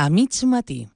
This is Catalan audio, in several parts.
A mig matí.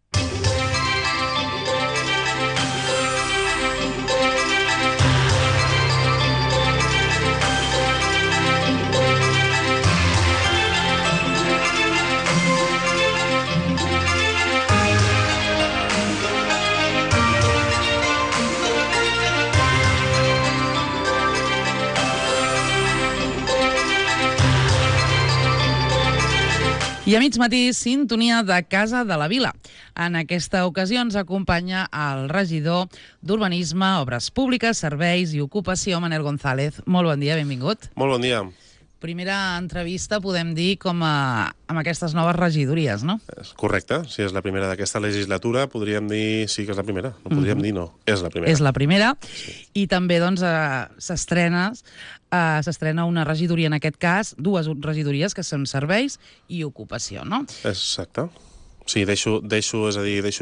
I a mig matí, sintonia de Casa de la Vila. En aquesta ocasió ens acompanya el regidor d'Urbanisme, Obres Públiques, Serveis i Ocupació, Manel González. Molt bon dia, benvingut. Molt bon dia. Primera entrevista, podem dir, amb aquestes noves regidories, no? Correcte, si és la primera d'aquesta legislatura, podríem dir sí que és la primera. No podríem dir no, és la primera. És la primera. Sí. I també, doncs, s'estrena una regidoria, en aquest cas, dues regidories, que són Serveis i Ocupació, no? Exacte. Sí, deixo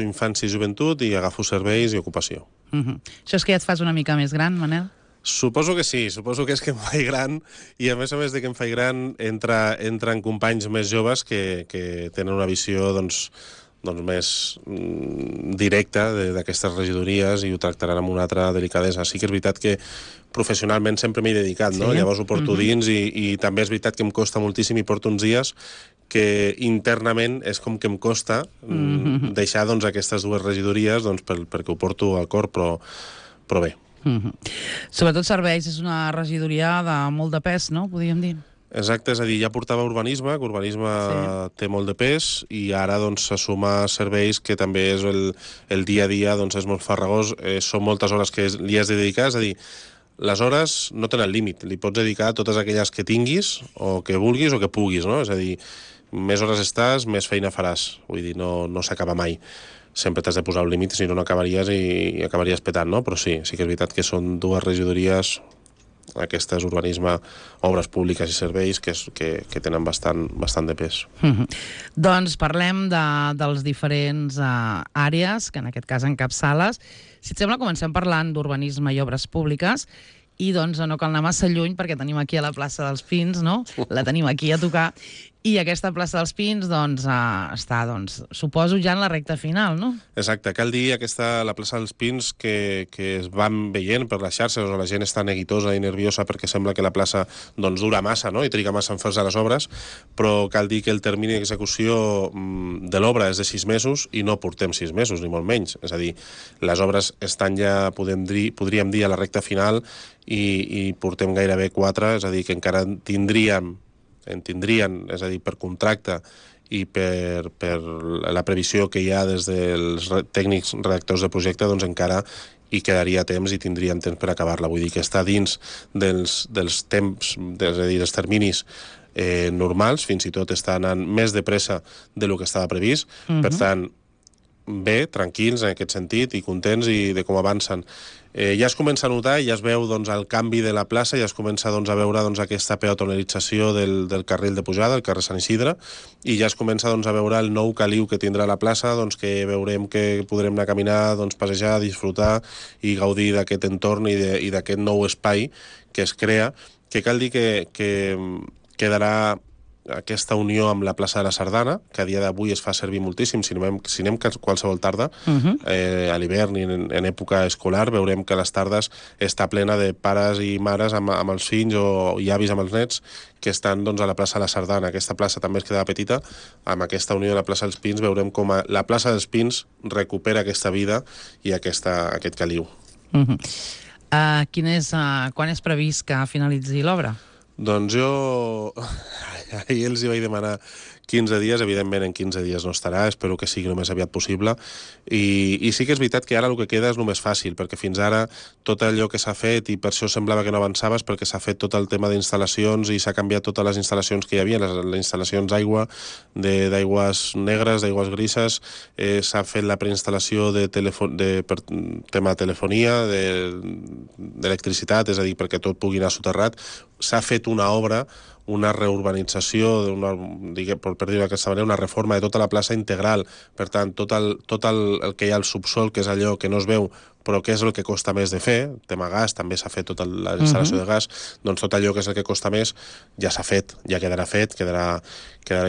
infància i joventut i agafo Serveis i Ocupació. Això és que ja et fas una mica més gran, Manel? Suposo que sí, suposo que és que em faig gran i a més de que em faig gran entren companys més joves que tenen una visió doncs més directa d'aquestes regidories i ho tractaran amb una altra delicadesa. Sí que és veritat que professionalment sempre m'hi he dedicat, no? Llavors ho porto dins i també és veritat que em costa moltíssim i porto uns dies que internament és com que em costa deixar doncs aquestes dues regidories doncs perquè ho porto al cor, però bé. Sobretot Serveis és una regidoria de molt de pes, no? Podríem dir. Exacte, és a dir, ja portava Urbanisme, que Urbanisme té molt de pes, i ara doncs se suma Serveis, que també és el dia a dia, doncs és molt farragós, són moltes hores que li has de dedicar, és a dir, les hores no tenen límit, li pots dedicar a totes aquelles que tinguis, o que vulguis, o que puguis, no? És a dir, més hores estàs, més feina faràs, vull dir, no s'acaba mai. Sempre t'has de posar un límit, si no acabaries i acabaries petant, no? Però sí que és veritat que són dues regidories, aquestes Urbanisme, Obres Públiques i Serveis, que tenen bastant de pes. Doncs parlem dels diferents àrees, que en aquest cas encapçales. Si et sembla, comencem parlant d'Urbanisme i Obres Públiques, i doncs no cal anar massa lluny perquè tenim aquí a la plaça dels Pins, no? La tenim aquí a tocar. I aquesta plaça dels Pins doncs, està, suposo, ja en la recta final, no? Exacte, cal dir la plaça dels Pins que es van veient per les xarxes, on la gent està neguitosa i nerviosa perquè sembla que la plaça doncs, dura massa, no? I triga massa en fer-se les obres, però cal dir que el termini d'execució de l'obra és de 6 mesos i no portem 6 mesos, ni molt menys. És a dir, les obres estan ja, podríem dir, a la recta final i portem gairebé 4, és a dir, que encara en tindrien, és a dir, per contracte i per la previsió que hi ha des dels tècnics redactors de projecte, doncs encara hi quedaria temps i tindríem temps per acabar-la. Vull dir que està dins dels temps, és a dir, dels terminis normals, fins i tot està anant més de pressa del que estava previst. Per tant, bé, tranquils en aquest sentit i contents i de com avancen. Ja es comença a notar i ja es veu doncs, el canvi de la plaça, ja es comença doncs, a veure doncs, aquesta peatonalització del carril de pujada, el carrer Sant Isidre, i ja es comença doncs, a veure el nou caliu que tindrà la plaça, doncs, que veurem que podrem anar a caminar, doncs, passejar, disfrutar i gaudir d'aquest entorn i d'aquest nou espai que es crea, que cal dir que quedarà aquesta unió amb la plaça de la Sardana, que a dia d'avui es fa servir moltíssim, si anem qualsevol tarda, a l'hivern i en època escolar, veurem que les tardes està plena de pares i mares amb els fills o avis amb els nets que estan doncs, a la plaça de la Sardana. Aquesta plaça també es quedava petita, amb aquesta unió de la plaça dels Pins veurem com la plaça dels Pins recupera aquesta vida i aquest caliu. Quan és previst que finalitzi l'obra? Doncs jo ahir els hi vaig demanar 15 dies, evidentment en 15 dies no estarà, espero que sigui el més aviat possible, i sí que és veritat que ara el que queda és el més fàcil, perquè fins ara tot allò que s'ha fet, i per això semblava que no avançaves, perquè s'ha fet tot el tema d'instal·lacions i s'ha canviat totes les instal·lacions que hi havia, les instal·lacions d'aigua, d'aigües negres, d'aigües grises, s'ha fet la preinstal·lació per tema de telefonia, d'electricitat, és a dir, perquè tot pugui anar soterrat, s'ha fet una obra, una reurbanització, per dir-ho d'aquesta manera, una reforma de tota la plaça integral. Per tant, tot el que hi ha al subsol, que és allò que no es veu, però que és el que costa més de fer, tema gas, també s'ha fet tota la instal·lació de gas, doncs tot allò que és el que costa més ja s'ha fet, ja quedarà fet, quedarà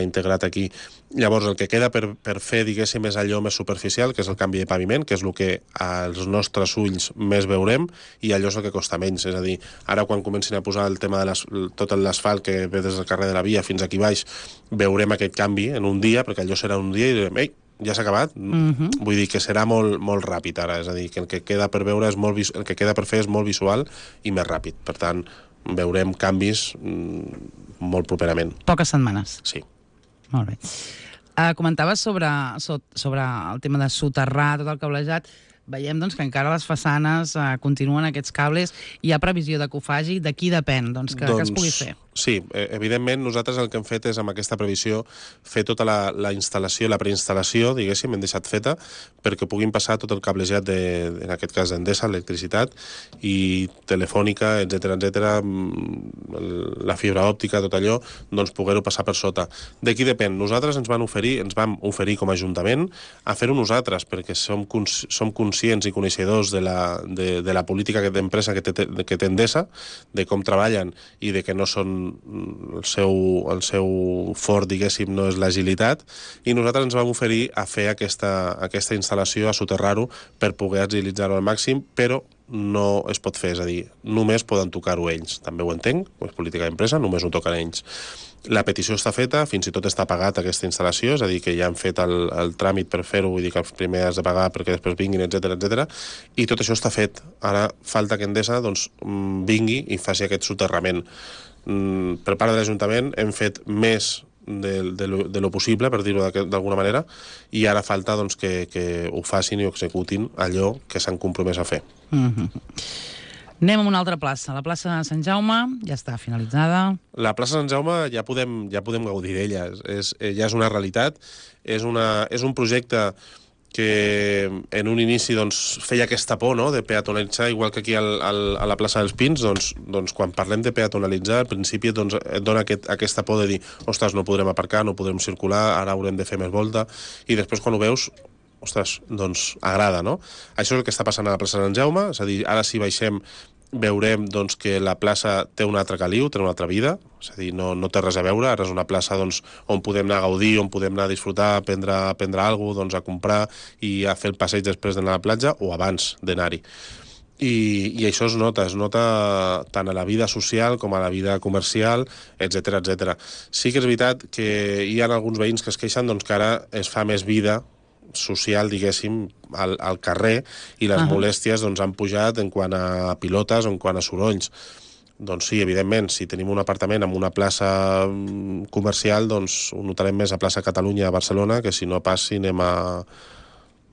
integrat aquí. Llavors, el que queda per fer, diguéssim, és allò més superficial, que és el canvi de paviment, que és el que als nostres ulls més veurem, i allò és el que costa menys. És a dir, ara quan comencin a posar el tema de tot l'asfalt que ve des del carrer de la Via fins aquí baix, veurem aquest canvi en un dia, perquè allò serà un dia i direm, ei, ja s'ha acabat. Vull dir que serà molt, molt ràpid ara, és a dir, que el que queda per veure és el que queda per fer és molt visual i més ràpid. Per tant, veurem canvis molt properament. Poques setmanes. Sí. Molt bé. Comentaves sobre el tema de soterrar tot el cablejat. Veiem doncs, que encara les façanes continuen aquests cables. Hi ha previsió de que ho faci? De qui depèn que es pugui fer? Sí, evidentment nosaltres el que hem fet és amb aquesta previsió fer tota la instal·lació, la preinstal·lació, diguéssim, hem deixat feta perquè puguin passar tot el cablejat en aquest cas d'Endesa, electricitat i telefònica, etc, la fibra òptica, tot allò, doncs poder-ho passar per sota. De qui depèn? Nosaltres ens vam oferir com a Ajuntament a fer-ho nosaltres perquè som conscients i coneixedors de la política d'empresa que té Endesa, de com treballen i de que no són el seu fort, diguéssim, no és l'agilitat, i nosaltres ens vam oferir a fer aquesta instal·lació, a soterrar-ho per poder agilitzar-ho al màxim, però no es pot fer, és a dir, només poden tocar-ho ells. També ho entenc, és política d'empresa, només ho toquen ells. La petició està feta, fins i tot està pagat aquesta instal·lació, és a dir, que ja han fet el tràmit per fer-ho, vull dir que primer has de pagar perquè després vinguin, etc, i tot això està fet. Ara falta que Endesa vingui i faci aquest soterrament. Per part de l'Ajuntament hem fet més de lo possible, per dir-ho d'alguna manera, i ara falta que ho facin i ho executin allò que s'han compromès a fer. Anem a una altra plaça. La plaça de Sant Jaume ja està finalitzada. La plaça de Sant Jaume ja podem gaudir d'ella. Ja és una realitat. És un projecte que en un inici feia aquesta por, no?, de peatonalitzar, igual que aquí a la plaça dels Pins, quan parlem de peatonalitzar, al principi et dona aquesta por de dir, ostres, no podrem aparcar, no podrem circular, ara haurem de fer més volta, i després quan ho veus, ostres, agrada, no? Això és el que està passant a la plaça de Sant Jaume, és a dir, ara si baixem veurem que la plaça té un altre caliu, té una altra vida, és a dir, no té res a veure, ara és una plaça on podem anar a gaudir, on podem anar a disfrutar, a prendre alguna cosa, a comprar i a fer el passeig després d'anar a la platja o abans d'anar-hi. I això es nota tant a la vida social com a la vida comercial, etc. Sí que és veritat que hi ha alguns veïns que es queixen que ara es fa més vida social, diguéssim, al carrer, i les molèsties han pujat en quant a pilotes o en quant a sorolls. Doncs sí, evidentment, si tenim un apartament en una plaça comercial, ho notarem més a plaça Catalunya a Barcelona que si no pas si anem a,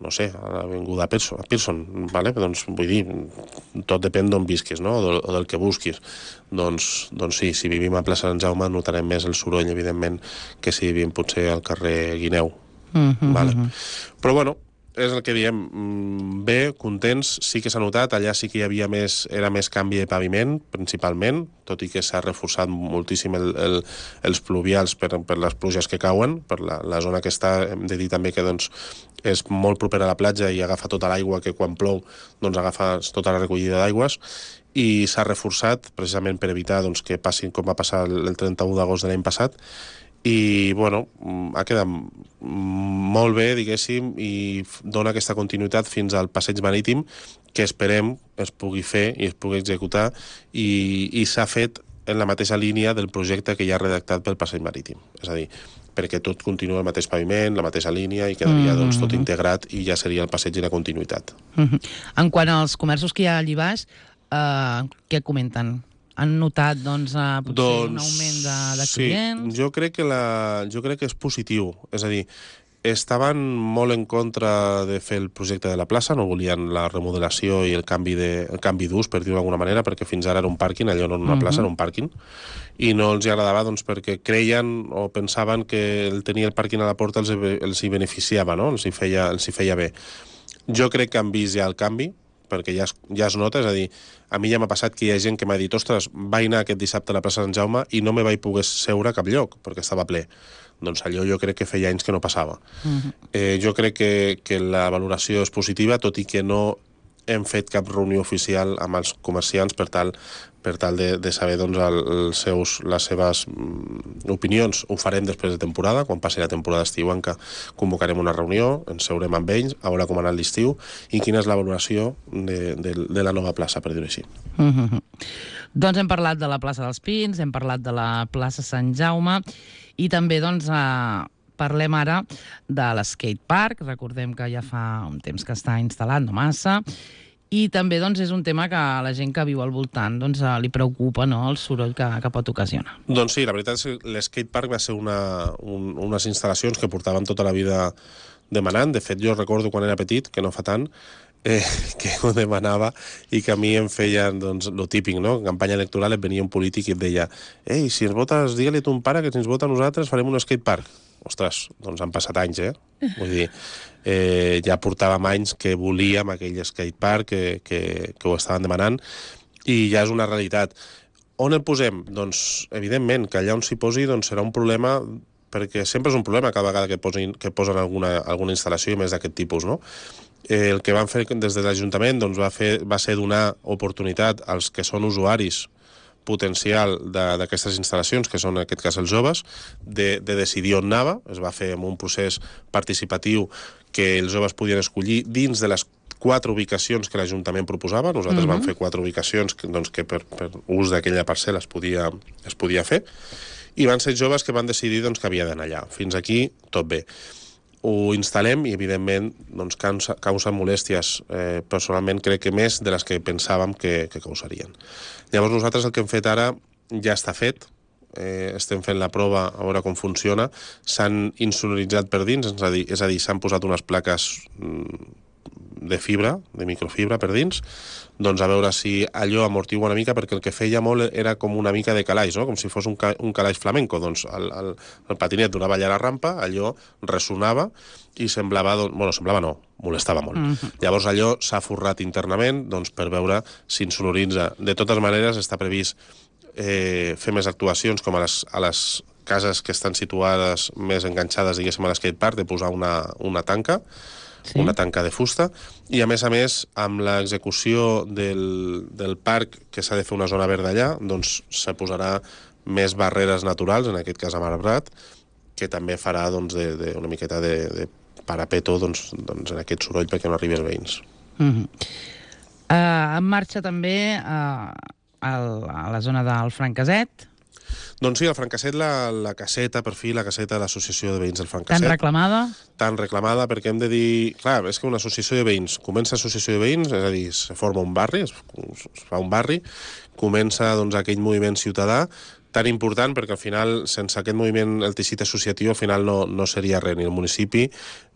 no sé, a l'avinguda Pearson, ¿vale? Vull dir, tot depèn d'on visquis, no?, o del que busquis. Doncs sí, si vivim a plaça Sant Jaume notarem més el soroll, evidentment, que si vivim potser al carrer Guineu. Vale. Però bueno, és el que diem, bé, contents, sí que s'ha notat, allà sí que hi havia era més canvi de paviment, principalment, tot i que s'ha reforçat moltíssim els pluvials per les pluges que cauen, per la zona que està, hem de dir també que és molt propera a la platja i agafa tota l'aigua que quan plou agafa tota la recollida d'aigües, i s'ha reforçat precisament per evitar que passin com va passar el 31 d'agost de l'any passat, i bueno, ha quedat molt bé, diguéssim, i dona aquesta continuïtat fins al passeig marítim que esperem es pugui fer i es pugui executar, i s'ha fet en la mateixa línia del projecte que ja ha redactat pel passeig marítim, és a dir, perquè tot continua el mateix paviment, la mateixa línia, i quedaria tot integrat i ja seria el passeig i la continuïtat. En quant als comerços que hi ha allí baix, què comenten? Han notat potser un augment de clients? Sí, jo crec que és positiu. És a dir, estaven molt en contra de fer el projecte de la plaça, no volien la remodelació i el canvi d'ús, per dir-ho d'alguna manera, perquè fins ara era un pàrquing, allò no era una plaça, era un pàrquing, i no els agradava perquè creien o pensaven que el tenir el pàrquing a la porta els hi beneficiava, no?, els hi feia bé. Jo crec que han vist ja el canvi, perquè ja es nota, és a dir, a mi ja m'ha passat que hi ha gent que m'ha dit, ostres, vaig anar aquest dissabte a la plaça Sant Jaume i no me vaig poder seure a cap lloc, perquè estava ple. Doncs allò jo crec que feia anys que no passava. Jo crec que la valoració és positiva, tot i que no hem fet cap reunió oficial amb els comerciants per tal de saber doncs, les seves opinions. Ho farem després de temporada, quan passi la temporada estiuenca convocarem una reunió, ens seurem amb ells, a veure com ha anat l'estiu i quina és la valoració de la nova plaça, per dir-ho així. Doncs hem parlat de la plaça dels Pins, hem parlat de la plaça Sant Jaume i també doncs, parlem ara de l'skatepark. Recordem que ja fa un temps que està instal·lat, no massa, i també doncs, és un tema que a la gent que viu al voltant doncs, li preocupa, no?, el soroll que pot ocasionar. Doncs sí, la veritat és que l'skatepark va ser unes instal·lacions que portàvem tota la vida demanant. De fet, jo recordo quan era petit, que no fa tant, que ho demanava i que a mi em feien, doncs, lo típic, no? En campanya electoral et venia un polític i et deia «Ei, si ens votes, digue-li a ton pare que si ens vota a nosaltres farem un skatepark». Ostres, doncs han passat anys, Vull dir, ja portàvem anys que volíem aquell skatepark, que ho estaven demanant, i ja és una realitat. On el posem? Doncs, evidentment, que allà on s'hi posi doncs, serà un problema, perquè sempre és un problema cada vegada que posen alguna instal·lació més d'aquest tipus, no? El que van fer des de l'Ajuntament doncs, va ser donar oportunitat als que són usuaris potencial d'aquestes instal·lacions, que són en aquest cas els joves, de decidir on anava. Es va fer amb un procés participatiu que els joves podien escollir dins de les 4 ubicacions que l'Ajuntament proposava. Nosaltres vam fer 4 ubicacions que per ús d'aquella parcel·la es podia fer, i van ser joves que van decidir doncs, que havia d'anar allà. Fins aquí tot bé. Ho instal·lem i, evidentment, doncs, causa molèsties. Personalment crec que més de les que pensàvem que causarien. Llavors nosaltres el que hem fet ara ja està fet, estem fent la prova a veure com funciona. S'han insonoritzat per dins, és a dir, s'han posat unes plaques de fibra, de microfibra per dins, doncs a veure si allò amortigua una mica, perquè el que feia molt era com una mica de calaix, no? Com si fos un calaix flamenco. Doncs el patinet donava allà a la rampa, allò ressonava i semblava, semblava no, molestava molt. Llavors allò s'ha forrat internament doncs, per veure si insonoritza. De totes maneres està previst fer més actuacions com a les cases que estan situades més enganxades, diguéssim, a l'skatepark, de posar una tanca, una tanca de fusta, i a més, amb l'execució del parc, que s'ha de fer una zona verda allà, doncs se posarà més barreres naturals, en aquest cas amb arbrat, que també farà doncs, una miqueta de parapeto doncs, en aquest soroll perquè no arribi als veïns. En marxa també a la zona del Franqueset. Doncs sí, el Franqueset, la caseta, per fi, la caseta de l'Associació de Veïns del Franqueset. Tan reclamada? Tan reclamada, perquè hem de dir... Clar, és que una associació de veïns, comença associació de veïns, és a dir, se forma un barri, es fa un barri, comença doncs, aquell moviment ciutadà, tan important, perquè al final, sense aquest moviment, el teixit associatiu, al final no seria res, ni el municipi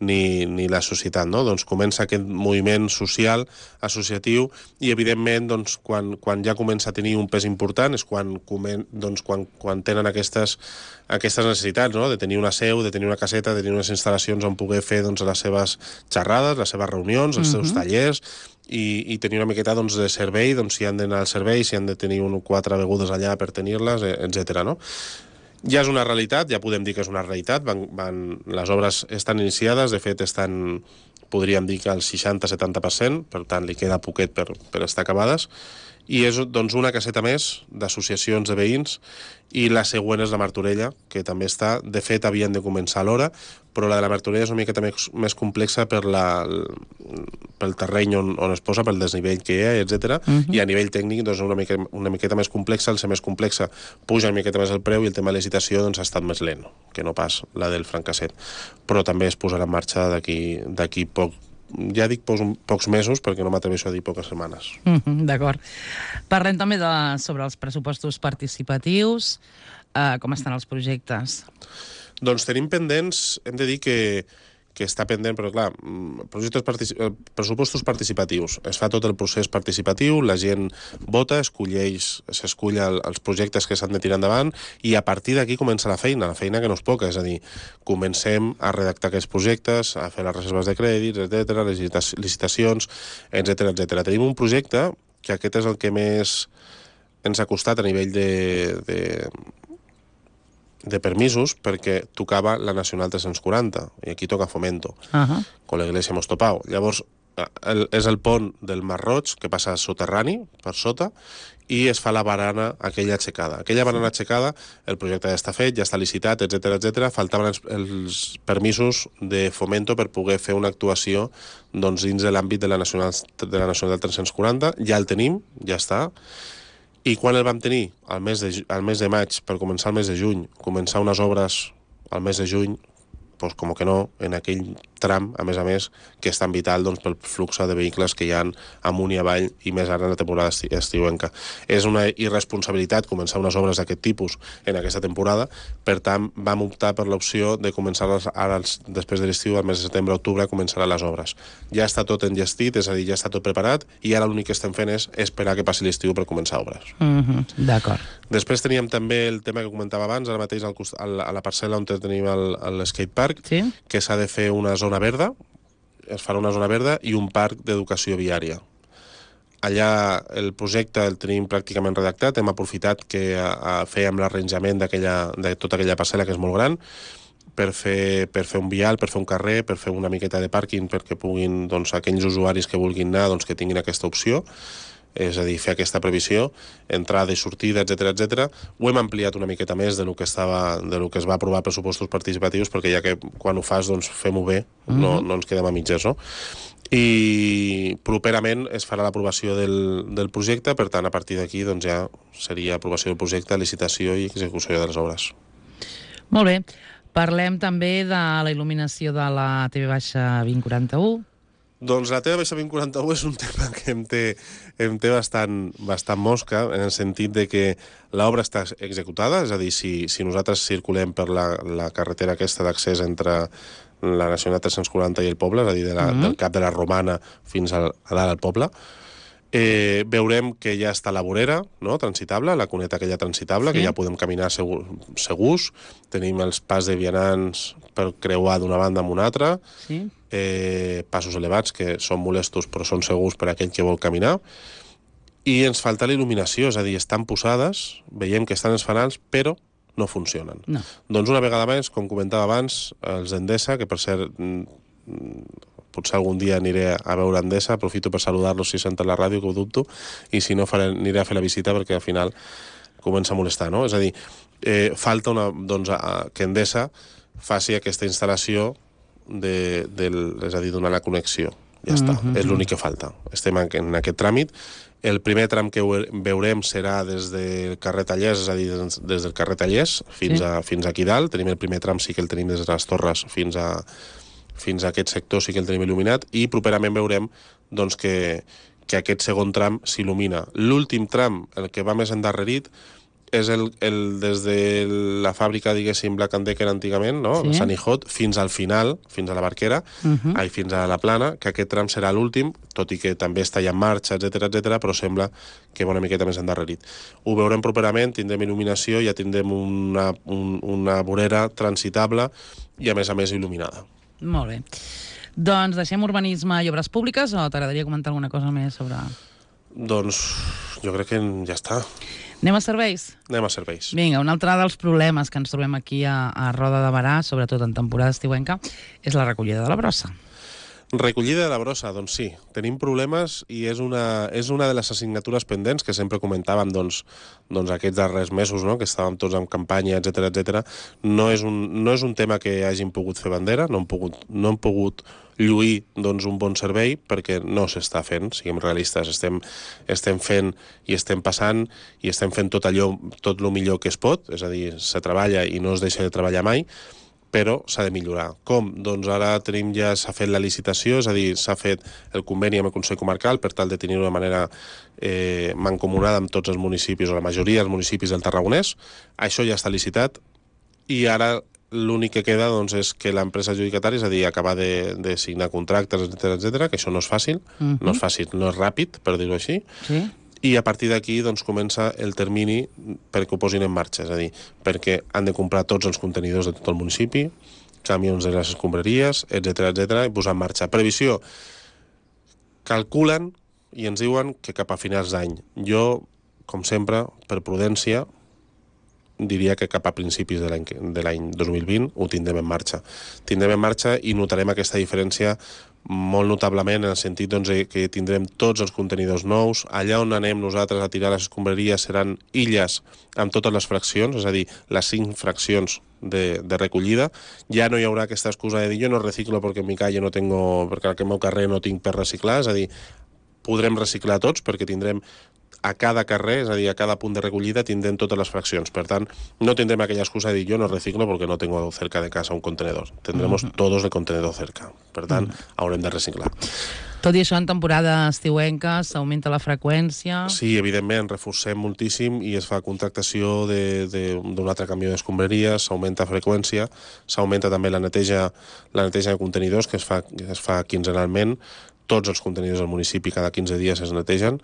ni la societat, no? Doncs comença aquest moviment social, associatiu, i evidentment, doncs, quan ja comença a tenir un pes important és quan tenen aquestes necessitats, no? De tenir una seu, de tenir una caseta, de tenir unes instal·lacions on poder fer doncs, les seves xerrades, les seves reunions, els seus tallers, i tenir una miqueta doncs, de servei, doncs, si han d'anar al servei, si han de tenir 4 begudes allà per tenir-les, etc. No? Ja és una realitat, ja podem dir que és una realitat, les obres estan iniciades, de fet podríem dir que al 60-70%, per tant li queda poquet per estar acabades, i és doncs, una caseta més d'associacions de veïns, i la següent és la Martorella, que també està, de fet havien de començar a l'hora, però la de la Martorella és una miqueta més complexa pel terreny on es posa, pel desnivell que hi ha, etc. I a nivell tècnic doncs, una miqueta més complexa, al ser més complexa puja una miqueta més el preu i el tema de licitació doncs, ha estat més lent que no pas la del Franqueset. Però també es posarà en marxa d'aquí poc, ja dic pocs mesos perquè no m'atreveixo a dir poques setmanes. D'acord. Parlem també sobre els pressupostos participatius, com estan els projectes? Doncs tenim pendents, hem de dir que està pendent, però clar, pressupostos participatius. Es fa tot el procés participatiu, la gent vota, s'escull els projectes que s'han de tirar endavant i a partir d'aquí comença la feina que no és poca, és a dir, comencem a redactar aquests projectes, a fer les reserves de crèdits, etc., licitacions, etc. Tenim un projecte que aquest és el que més ens ha costat a nivell de permisos, perquè tocava la Nacional 340, i aquí toca Fomento, con la Iglesia hemos topado. Llavors, és el pont del Mar Roig, que passa soterrani, per sota, i es fa la barana aquella aixecada. Aquella barana aixecada, el projecte ja està fet, ja està licitat, etc. Faltaven els permisos de Fomento per poder fer una actuació doncs, dins de l'àmbit de la Nacional 340. Ja el tenim, ja està. I quan el vam tenir? Al mes de maig, per començar el mes de juny, començar unes obres al mes de juny, pues com que no, en aquell tram, a més, que és tan vital doncs, pel flux de vehicles que hi ha amunt i avall, i més ara en la temporada estiuenca. És una irresponsabilitat començar unes obres d'aquest tipus en aquesta temporada, per tant, vam optar per l'opció de començar-les ara, després de l'estiu, al mes de setembre-octubre, començaran les obres. Ja està tot enllestit, és a dir, ja està tot preparat, i ara l'únic que estem fent és esperar que passi l'estiu per començar obres. D'acord. Després teníem també el tema que comentava abans, ara mateix a la parcel·la on tenim l'skatepark, que s'ha de fer una zona verda, es farà una zona verda i un parc d'educació viària. Allà el projecte el tenim pràcticament redactat, hem aprofitat que fèiem l'arranjament de tota aquella parcel·la, que és molt gran, per fer un vial, per fer un carrer, per fer una miqueta de pàrquing, perquè puguin, doncs, aquells usuaris que vulguin anar, doncs, que tinguin aquesta opció, és a dir, fer aquesta previsió, entrada i sortida, etc. Ho hem ampliat una miqueta més de lo que es va aprovar a pressupostos participatius, perquè ja que quan ho fas, doncs fem-ho bé, no ens quedem a mitges, no? I properament es farà l'aprovació del projecte, per tant, a partir d'aquí doncs, ja seria aprovació del projecte, licitació i execució de les obres. Molt bé. Parlem també de la il·luminació de la TV-2041. Doncs la TV-2041 és un tema que em té bastant mosca, en el sentit de que l'obra està executada, és a dir, si nosaltres circulem per la carretera aquesta d'accés entre la Nacional 340 i el poble, és a dir, del cap de la Romana fins a dalt al poble, veurem que ja està la vorera, no?, transitable, la cuneta aquella transitable, que ja podem caminar segurs, tenim els pas de vianants per creuar d'una banda amb una altra, passos elevats que són molestos però són segurs per a aquell que vol caminar, i ens falta la il·luminació, és a dir, estan posades, veiem que estan els fanals, però no funcionen. No. Doncs una vegada més, com comentava abans, els Endesa, que per cert potser algun dia aniré a veure Endesa, aprofito per saludar-los si senten la ràdio, que ho dubto, i si no aniré a fer la visita perquè al final comença a molestar, no? És a dir, falta que Endesa faci aquesta instal·lació és a dir, donar la connexió. Ja està, és l'únic que falta. Estem en aquest tràmit. El primer tram que veurem serà des del carrer Tallers, és a dir, des del carrer Tallers fins aquí dalt. Tenim el primer tram, sí que el tenim des de les Torres fins a aquest sector, sí que el tenim il·luminat, i properament veurem doncs, que aquest segon tram s'il·lumina. L'últim tram, el que va més endarrerit, és des de la fàbrica, diguéssim, Black & Decker antigament, no? Sí. Sant Ijot, fins al final, fins a la Barquera, fins a la Plana, que aquest tram serà l'últim, tot i que també està ja en marxa, etc, però sembla que va una miqueta més endarrerit. Ho veurem properament, tindrem il·luminació, ja tindrem una vorera transitable i a més il·luminada. Molt bé. Doncs deixem urbanisme i obres públiques, o t'agradaria comentar alguna cosa més sobre...? Doncs jo crec que ja està. Anem a serveis? Anem a serveis. Vinga, un altre dels problemes que ens trobem aquí a Roda de Berà, sobretot en temporada estiuenca, és la recollida de la brossa. Recollida de la brossa, doncs sí, tenim problemes i és una de les assignatures pendents que sempre comentàvem doncs aquests darrers mesos, no?, que estàvem tots en campanya, etc. No és un tema que hagin pogut fer bandera, no hem pogut lluir doncs, un bon servei perquè no s'està fent, siguem realistes, estem fent i estem passant i estem fent tot el millor que es pot, és a dir, se treballa i no es deixa de treballar mai, però s'ha de millorar. Com? Doncs ara s'ha fet la licitació, és a dir, s'ha fet el conveni amb el Consell Comarcal per tal de tenir-ho de manera mancomunada amb tots els municipis, o la majoria dels municipis del Tarragonès. Això ja està licitat i ara l'únic que queda doncs, és que l'empresa adjudicatària, és a dir, acabar de signar contractes, etc, que això no és fàcil, no és fàcil, no és ràpid, per dir-ho així, i a partir d'aquí doncs, comença el termini perquè ho posin en marxa, és a dir, perquè han de comprar tots els contenidors de tot el municipi, camions de les escombraries, etc, i posar en marxa. Previsió, calculen i ens diuen que cap a finals d'any. Jo, com sempre, per prudència, diria que cap a principis de l'any 2020 ho tindrem en marxa. Tindrem en marxa i notarem aquesta diferència molt notablement en el sentit doncs, que tindrem tots els contenidors nous. Allà on anem nosaltres a tirar les escombraries seran illes amb totes les fraccions, és a dir, les 5 fraccions de recollida. Ja no hi haurà aquesta excusa de dir jo no reciclo perquè en mi calle no tengo, perquè al meu carrer no tinc per reciclar, és a dir, podrem reciclar tots perquè tindrem a cada carrer, és a dir, a cada punt de recollida tindrem totes les fraccions. Per tant, no tindrem aquella excusa de dir yo no reciclo porque no tengo cerca de casa un contenedor. Tendremos todos el contenedor cerca. Per tant, haurem de reciclar. Tot i això, en temporada estiuenca s'augmenta la freqüència... Sí, evidentment, reforcem moltíssim i es fa contractació d'un altre camió d'escombraries, s'augmenta freqüència, s'augmenta també la neteja de contenidors, que es fa quinzenalment. Tots els contenidors del municipi cada 15 dies es netegen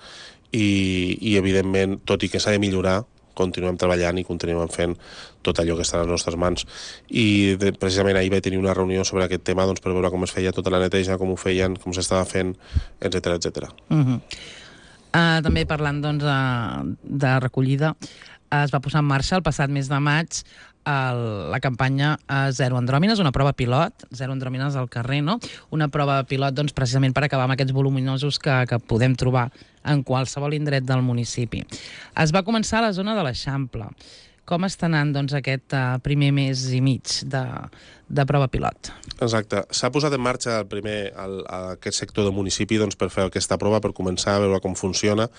i evidentment, tot i que s'ha de millorar, continuem treballant i continuem fent tot allò que està a les nostres mans. I precisament ahir vaig tenir una reunió sobre aquest tema doncs, per veure com es feia tota la neteja, com ho feien, com s'estava fent, etc etc. També parlant doncs, de recollida, es va posar en marxa el passat mes de maig la campanya Zero Andròmines, una prova pilot, Zero Andròmines al carrer, no? Una prova pilot doncs, precisament per acabar amb aquests voluminosos que podem trobar en qualsevol indret del municipi. Es va començar a la zona de l'Eixample. Com està anant doncs, aquest primer mes i mig de prova pilot? Exacte. S'ha posat en marxa aquest sector del municipi doncs, per fer aquesta prova, per començar a veure com funciona.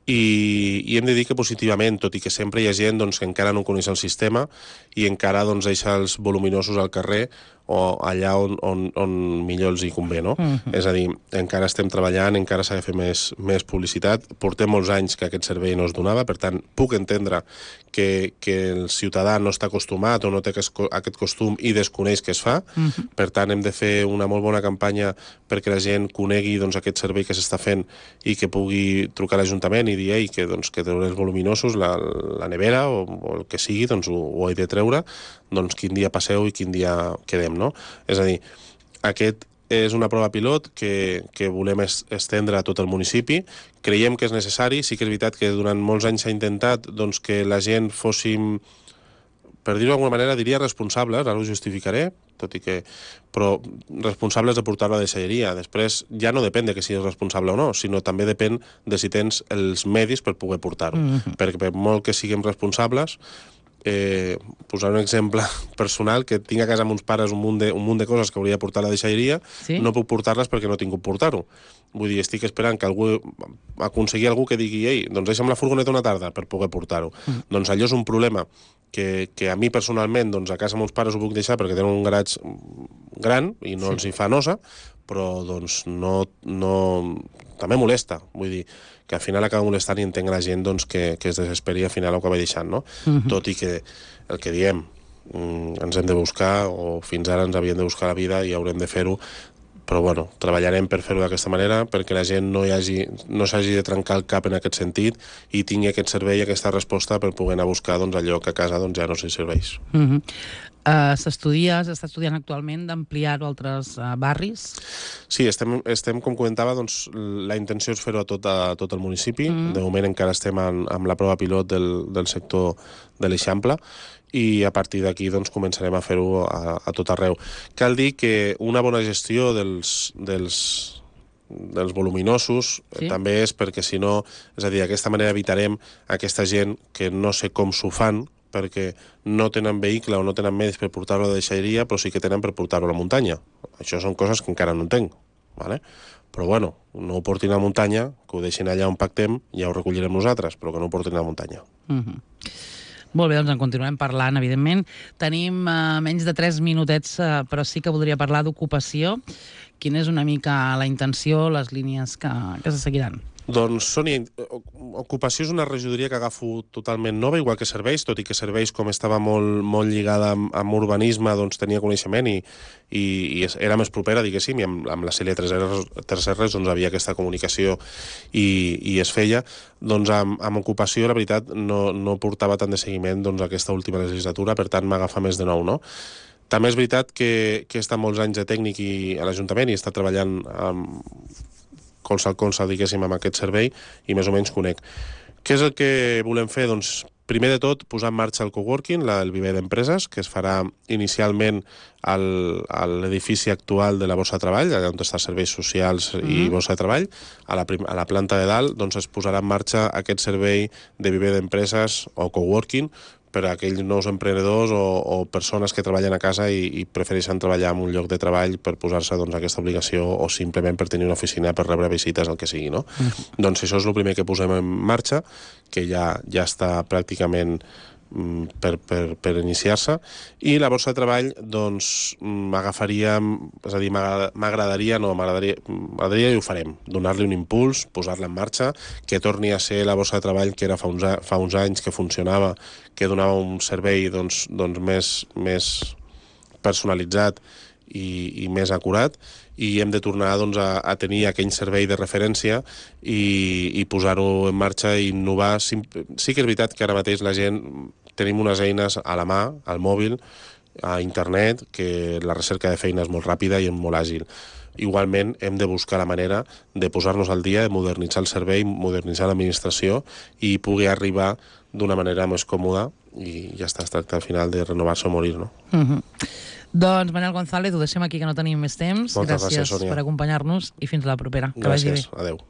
I hem de dir que positivament, tot i que sempre hi ha gent doncs, que encara no coneix el sistema i encara doncs, deixa els voluminosos al carrer o allà on millor els hi convé, no? És a dir, encara estem treballant, encara s'ha de fer més publicitat. Portem molts anys que aquest servei no es donava, per tant, puc entendre que el ciutadà no està acostumat o no té aquest costum i desconeix que es fa. Per tant, hem de fer una molt bona campanya perquè la gent conegui doncs, aquest servei que s'està fent i que pugui trucar a l'Ajuntament i dir que treuré els voluminosos, la nevera o el que sigui, doncs ho he de treure, doncs quin dia passeu i quin dia quedem, no? És a dir, aquest és una prova pilot que volem estendre a tot el municipi. Creiem que és necessari. Sí que és veritat que durant molts anys s'ha intentat doncs, que la gent fóssim, per dir-ho d'alguna manera, diria responsables, ara ho justificaré, però responsables de portar-lo a la deixalleria. Després ja no depèn de que siguis responsable o no, sinó també depèn de si tens els medis per poder portar-ho. Perquè per molt que siguem responsables, posar un exemple personal, que tinc a casa amb uns pares un munt de coses que hauria de portar a la deixalleria, no puc portar-les perquè no tinc com portar-ho. Vull dir, estic esperant que aconseguir algú que digui doncs deixa'm la furgoneta una tarda per poder portar-ho. Doncs allò és un problema que a mi personalment doncs a casa amb uns pares ho puc deixar perquè tenen un garatge gran i no els hi fa nosa, però doncs no també molesta. Vull dir, que al final acaba molestant i entenc la gent doncs, que es desesperi i al final ho acaba deixant, no? Tot i que el que diem, ens hem de buscar, o fins ara ens havíem de buscar la vida i haurem de fer-ho, però bueno, treballarem per fer-ho d'aquesta manera perquè la gent no s'hagi de trencar el cap en aquest sentit i tingui aquest servei i aquesta resposta per poder anar a buscar doncs, allò que a casa doncs, ja no s'hi serveix. S'està estudiant actualment d'ampliar-ho a altres barris? Sí, estem com comentava, doncs, la intenció és fer-ho a tot el municipi. De moment encara estem amb la prova pilot del sector de l'Eixample i a partir d'aquí doncs, començarem a fer-ho a tot arreu. Cal dir que una bona gestió dels voluminosos també és perquè si no, és a dir, d'aquesta manera evitarem aquesta gent que no sé com s'ho fan perquè no tenen vehicle o no tenen medis per portar-lo a la deixalleria, però sí que tenen per portar-lo a la muntanya. Això són coses que encara no entenc, ¿vale? Però bueno, no ho portin a la muntanya, que ho deixin allà on pactem, ja ho recollirem nosaltres, però que no ho portin a la muntanya. Molt bé, doncs en continuem parlant, evidentment. Tenim menys de 3 minutets, però sí que voldria parlar d'ocupació. Quina és una mica la intenció, les línies que se seguiran? Doncs, Sònia, ocupació és una regidoria que agafo totalment nova, igual que serveis, tot i que serveis, com estava molt lligada amb urbanisme, doncs tenia coneixement i era més propera, diguéssim, i amb la Cèlia Tresserres doncs havia aquesta comunicació i es feia. Doncs amb ocupació, la veritat, no portava tant de seguiment doncs, aquesta última legislatura, per tant m'agafa més de nou, no? També és veritat que he estat molts anys de tècnic a l'Ajuntament i he estat treballant colze al colze, diguéssim, amb aquest servei i més o menys conec. Què és el que volem fer? Doncs Primer de tot, posar en marxa el coworking, el viver d'empreses, que es farà inicialment a l'edifici actual de la Borsa de Treball, allà on està serveis socials i Borsa de Treball. A la planta de dalt doncs, es posarà en marxa aquest servei de viver d'empreses o coworking per a aquells nous emprenedors o persones que treballen a casa i prefereixen treballar en un lloc de treball per posar-se doncs, aquesta obligació o simplement per tenir una oficina per rebre visites, el que sigui, no? Doncs això és el primer que posem en marxa, que ja està pràcticament per iniciar-se, i la Borsa de Treball doncs agafaríem, és a dir, m'agradaria i ho farem, donar-li un impuls, posar-la en marxa, que torni a ser la Borsa de Treball que era fa uns anys, que funcionava, que donava un servei doncs més personalitzat i més acurat, i hem de tornar doncs, a tenir aquell servei de referència i posar-ho en marxa i innovar. Sí que és veritat que ara mateix la gent tenim unes eines a la mà, al mòbil, a internet, que la recerca de feina és molt ràpida i molt àgil. Igualment hem de buscar la manera de posar-nos al dia, de modernitzar el servei, modernitzar l'administració i poder arribar d'una manera més còmoda, i ja està, es tracta al final de renovar-se o morir, no? Doncs Manel González, ho deixem aquí que no tenim més temps. Moltes gràcies, Sònia. Per acompanyar-nos i fins a la propera. Que vagi bé. Gràcies, adeu.